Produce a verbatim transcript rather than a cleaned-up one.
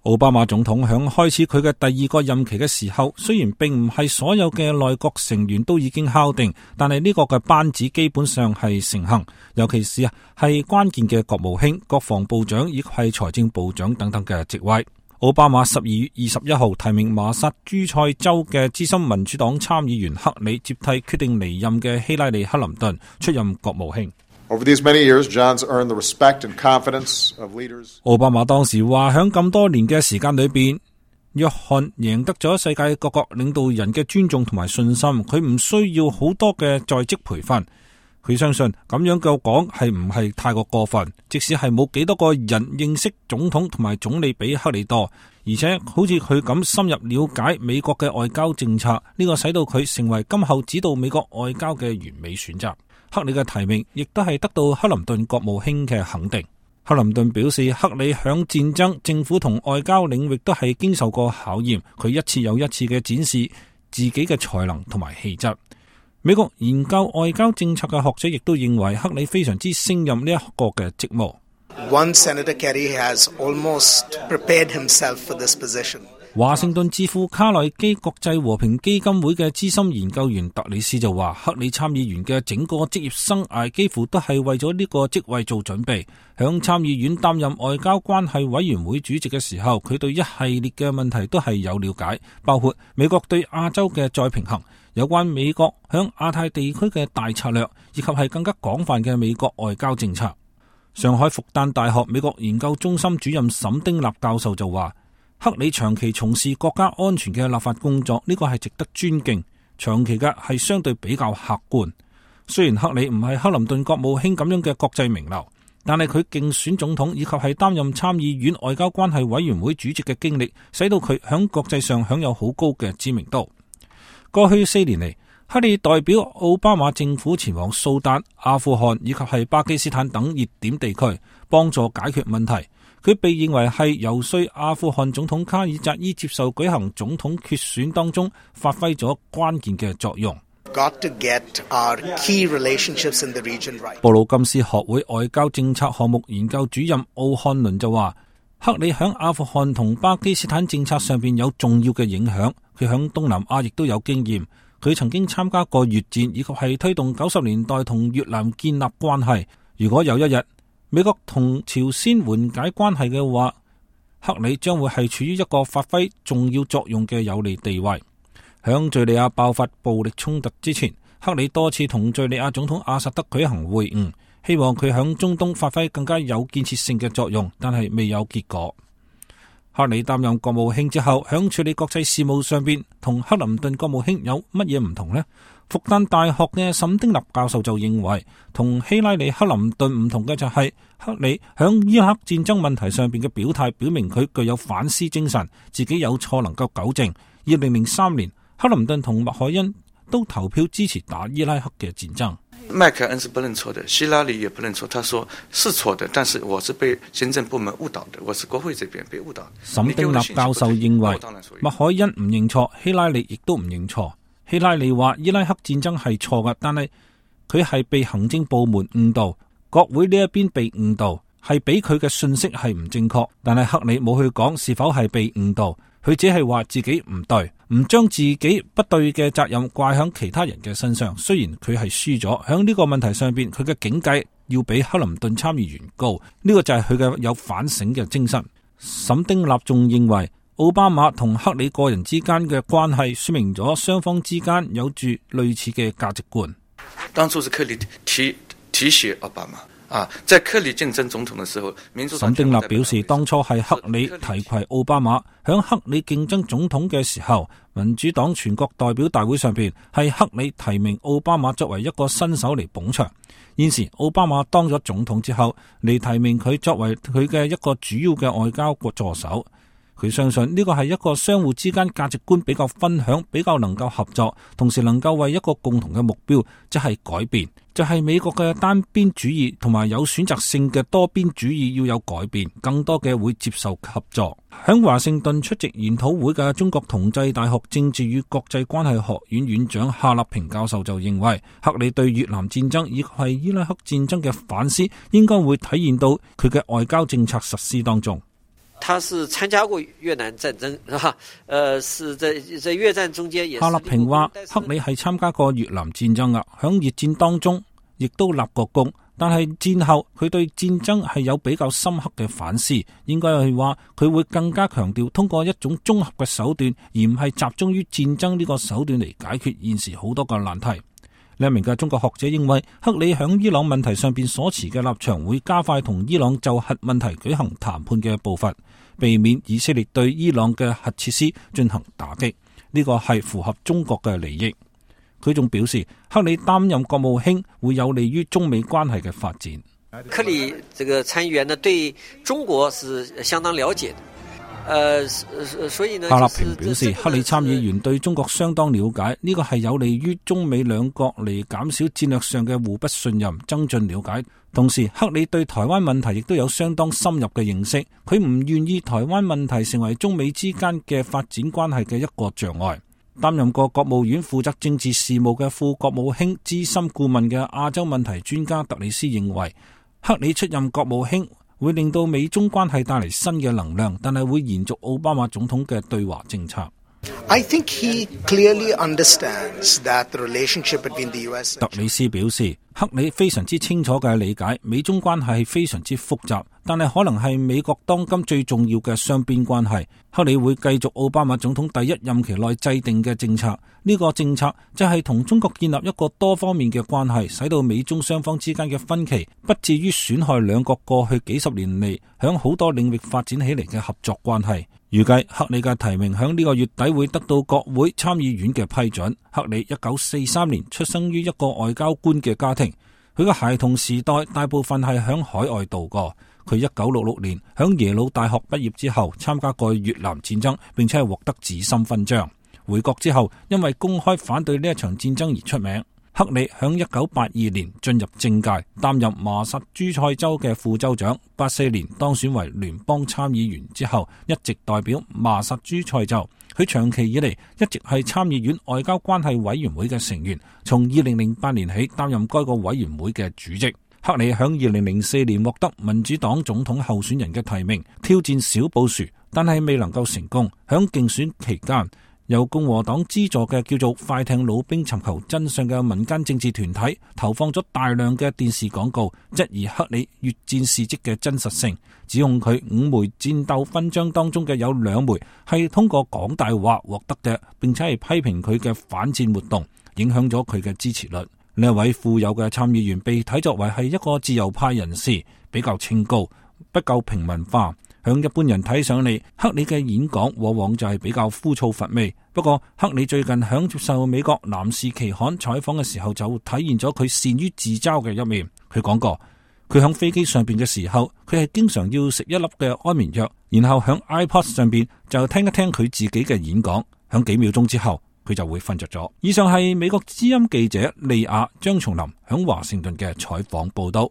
奧巴馬總統響開始佢嘅第二個任期嘅時候，雖然並唔係所有嘅內閣成員都已經敲定，但係呢個嘅班子基本上係成行，尤其是啊係關鍵嘅國務卿、國防部長以及係財政部長等等嘅職位。奧巴馬十二月二十一號提名麻薩諸塞州嘅資深民主黨參議員克里接替決定離任嘅希拉里克林頓出任國務卿。Over these many years, John's earned the respect and confidence of leaders. 奧巴馬當時話，響咁多年嘅時間裏邊，約翰贏得咗世界各國領導人嘅尊重同埋信心，佢唔需要好多嘅在職培訓。佢相信咁樣嘅講係唔係太過過分，即使係冇幾多個人認識總統同埋總理比克里多，而且好似佢咁深入了解美國嘅外交政策，呢個使到佢成為今後指導美國外交嘅完美選擇。克里嘅提名亦都係得到克林頓國務卿嘅肯定。克林頓表示，克里響戰爭、政府同外交領域都係經受過考驗，佢一次又一次嘅展示自己嘅才能同埋氣質。美國研究外交政策嘅學者亦都認為克里非常之勝任呢一個嘅職務。One Senator Kerry has almost prepared himself for this position. 華盛頓智庫卡內基國際和平基金會嘅資深研究員特里斯就話，克里參議員嘅整個職業生涯幾乎都係為咗呢個職位做準備。響參議院擔任外交關係委員會主席嘅時候，佢對一系列嘅問題都係有了解，包括美國對亞洲嘅再平衡，有關美國響亞太地區嘅大策略，以及係更加廣泛嘅美國外交政策。上海復旦大學美國研究中心主任沈丁立教授就話，克里長期從事國家安全嘅立法工作，呢個係值得尊敬。長期嘅係相對比較客觀。雖然克里唔係克林頓國務卿咁樣嘅國際名流，但係佢競選總統以及係擔任參議院外交關係委員會主席嘅經歷，使到佢響國際上享有好高嘅知名度。過去四年嚟，克里代表奧巴馬政府前往蘇丹、阿富汗以及係巴基斯坦等熱點地區，幫助解決問題。佢被認為係游說阿富汗總統卡爾扎伊接受舉行總統決選當中發揮咗關鍵嘅作用。Got to get our key relationships in the region right. 布魯金斯學會外交政策項目研究主任奧漢倫就話，克里響阿富汗同巴基斯坦政策上邊有重要嘅影響。佢響東南亞亦都有經驗。佢曾經參加過越戰，以及係推動九十年代同越南建立關係。如果有一日美國同朝鮮緩解關係嘅話，克里將會係處於一個發揮重要作用嘅有利地位。響敘利亞爆發暴力衝突之前，克里多次同敘利亞總統阿薩德舉行會晤，希望佢響中東發揮更加有建設性嘅作用，但係未有結果。克里擔任國務卿之後，響處理國際事務上邊同克林頓國務卿有乜嘢唔同呢？復旦大學嘅沈丁立教授就認為，同希拉里克林頓唔同嘅就係克里響伊拉克戰爭問題上邊嘅表態，表明佢具有反思精神，自己有錯能夠糾正。二零零三年，克林頓同麥凱恩都投票支持打伊拉克嘅戰爭。麥凱恩是不認錯的，希拉里也不認錯，他說是錯的，但是我是被行政部門誤導的，我是國會這邊被誤導的。沈丁立教授認為，麥凱恩唔認錯，希拉里亦都唔認錯。希拉里話伊拉克戰爭係錯嘅，但係佢係被行政部門誤導，國會呢一邊被誤導，係俾佢嘅信息係唔正確。但係克里冇去講是否係被誤導，佢只係話自己唔對，唔將自己不對嘅責任怪響其他人嘅身上。雖然佢係輸咗，響呢個問題上邊，佢嘅境界要比克林頓參議員高，呢、這個就係佢嘅有反省嘅精神。沈丁立仲認為，奧巴馬同克里個人之間嘅關係說明咗雙方之間有住類似嘅價值觀。當初是克里提提攜奧巴馬啊，在克里競爭總統的時候，民主黨沈丁立表示，當初係克里提攜奧巴馬，響克里競爭總統嘅時候，民主黨全國代表大會上邊係克里提名奧巴馬作為一個新手嚟捧場。現時奧巴馬當咗總統之後，嚟提名佢作為佢嘅一個主要嘅外交助手。佢相信呢個係一個相互之間價值觀比較分享，比較能夠合作，同時能夠為一個共同嘅目標，即係改變，就係美國嘅單邊主義同埋有選擇性嘅多邊主義要有改變，更多嘅會接受合作。喺華盛頓出席研討會嘅中國同濟大學政治與國際關係學院院長夏立平教授就認為，克里對越南戰爭以及係伊拉克戰爭嘅反思，應該會體現到佢嘅外交政策實施當中。他是參加過越南戰爭，是吧？呃，是在在越戰中間也是。夏立平話：克里係參加過越南戰爭啊，響越戰當中亦都立過功，但係戰後佢對戰爭係有比較深刻嘅反思，應該係話佢會更加強調通過一種綜合嘅手段，而唔係集中於戰爭呢個手段嚟解決現時好多個難題。另一名嘅中國學者認為，克里響伊朗問題上邊所持嘅立場會加快同伊朗就核問題舉行談判嘅步伐，避免以色列對伊朗嘅核設施進行打擊，呢個係符合中國嘅利益。佢仲表示，克里擔任國務卿會有利於中美關係嘅發展。克里這個參議員呢，對中國是相當了解的。呃，所以呢，夏立平表示，克里參議員對中國相當了解，呢個係有利於中美兩國嚟減少戰略上嘅互不信任，增進了解。同時，克里對台灣問題亦都有相當深入嘅認識，佢唔願意台灣問題成為中美之間嘅發展關係嘅一個障礙。擔任過國務院負責政治事務嘅副國務卿資深顧問嘅亞洲問題專家特里斯認為，克里出任國務卿會令到美中關係帶嚟新嘅能量，但係會延續奧巴馬總統嘅對華政策。I think he clearly understands that the relationship between the U S 特里斯表示，克里非常之清楚嘅理解美中關係係非常之複雜，但係可能係美國當今最重要嘅雙邊關係。克里會繼續奧巴馬總統第一任期內制定嘅政策，呢個政策就係同中國建立一個多方面嘅關係，使到美中雙方之間嘅分歧不至於損害兩國過去幾十年嚟響好多領域發展起嚟嘅合作關係。預計克里嘅提名響呢個月底會得到國會參議院嘅批准。克里一九四三年出生於一個外交官嘅家庭，佢嘅孩童時代大部分係響海外度過。佢一九六六年響耶魯大學畢業之後，參加過越南戰爭，並且係獲得紫心勳章。回國之後，因為公開反對呢一場戰爭而出名。克里響一九八二年進入政界，擔任麻薩諸塞州嘅副州長。八四年當選為聯邦參議員之後，一直代表麻薩諸塞州。佢長期以嚟一直係參議院外交關係委員會嘅成員，從二零零八年起擔任該個委員會嘅主席。克里響二零零四年獲得民主黨總統候選人嘅提名，挑戰小布殊，但係未能夠成功。響競選期間，由共和黨資助嘅叫做快艇老兵尋求真相嘅民間政治團體投放咗大量嘅電視廣告，質疑克里越戰事跡嘅真實性，指控佢五枚戰鬥勳章當中嘅有兩枚係通過講大話獲得嘅，並且係批評佢嘅反戰活動，影響咗佢嘅支持率。呢一位富有嘅參議員被睇作為係一個自由派人士，比較清高，不夠平民化。向一般人睇上嚟，克里嘅演講往往就係比較枯燥乏味。不過，克里最近響接受美國男士期刊採訪嘅時候，就體現咗佢善於自嘲嘅一面。佢講過，佢響飛機上邊嘅時候，佢係經常要食一粒嘅安眠藥，然後響 iPod 上邊就聽一聽佢自己嘅演講，響幾秒鐘之後，佢就會瞓着咗。以上係美國之音記者利亞張松林響華盛頓嘅採訪報道。